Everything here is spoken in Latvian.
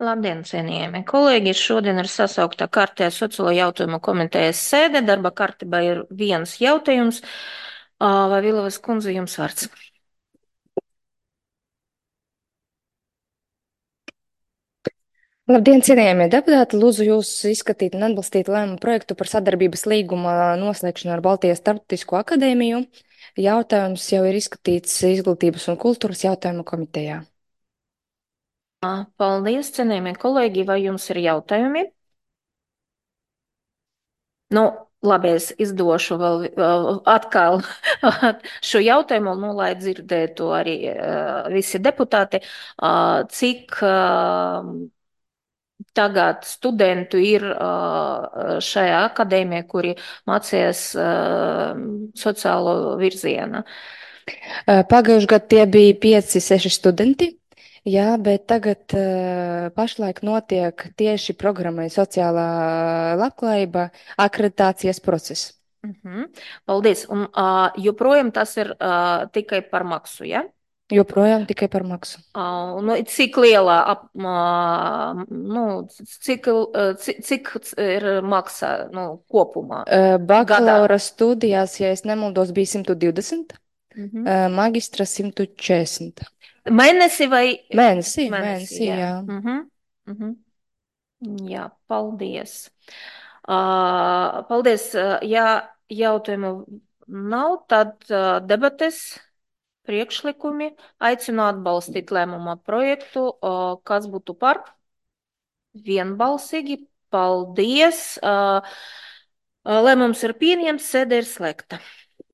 Labdien, cienījamie kolēģi! Šodien ir sasaukta kārtējā sociālo jautājumu komitejas sēde. Darba kārtībā ir viens jautājums. Vai Vilovas kundze jums vārds? Labdien, cienījamie deputāti! Lūdzu jūs izskatīt un atbalstīt lēmumu projektu par sadarbības līguma noslēgšanu ar Baltijas Starptautisko akadēmiju. Jautājums jau ir izskatīts Izglītības un kultūras jautājumu komitejā. Paldies, cienījamie kolēģi! Vai jums ir jautājumi? Nu, labi, es izdošu vēl atkal šo jautājumu, nu, lai dzirdētu arī visi deputāti, cik tagad studentu ir šajā akadēmijā, kuri mācījās sociālo virzienu. Pagājušajā gadā tie bija 5, 6 studenti, jā, bet tagad pašlaik notiek tieši programmai sociālā labklājība akreditācijas process. Paldies. Un joprojām tas ir tikai par maksu, ja? Joprojām tikai par maksu. Nu, cik lielā, nu, cik ir maksa, nu, kopumā? Bakalaura studijās, ja es nemaldos, bija 120, Mhm. magistra 140. Mēnesi vai? Mēnesī, Jā. jā. Mhm. Jā, paldies. Paldies. Ja jautājumu nav, tad debates, priekšlikumi aicinu atbalstīt lēmuma projektu. Kas būtu par? Vienbalsīgi. Paldies. Lēmums ir pieņemts, sēde ir slēgta.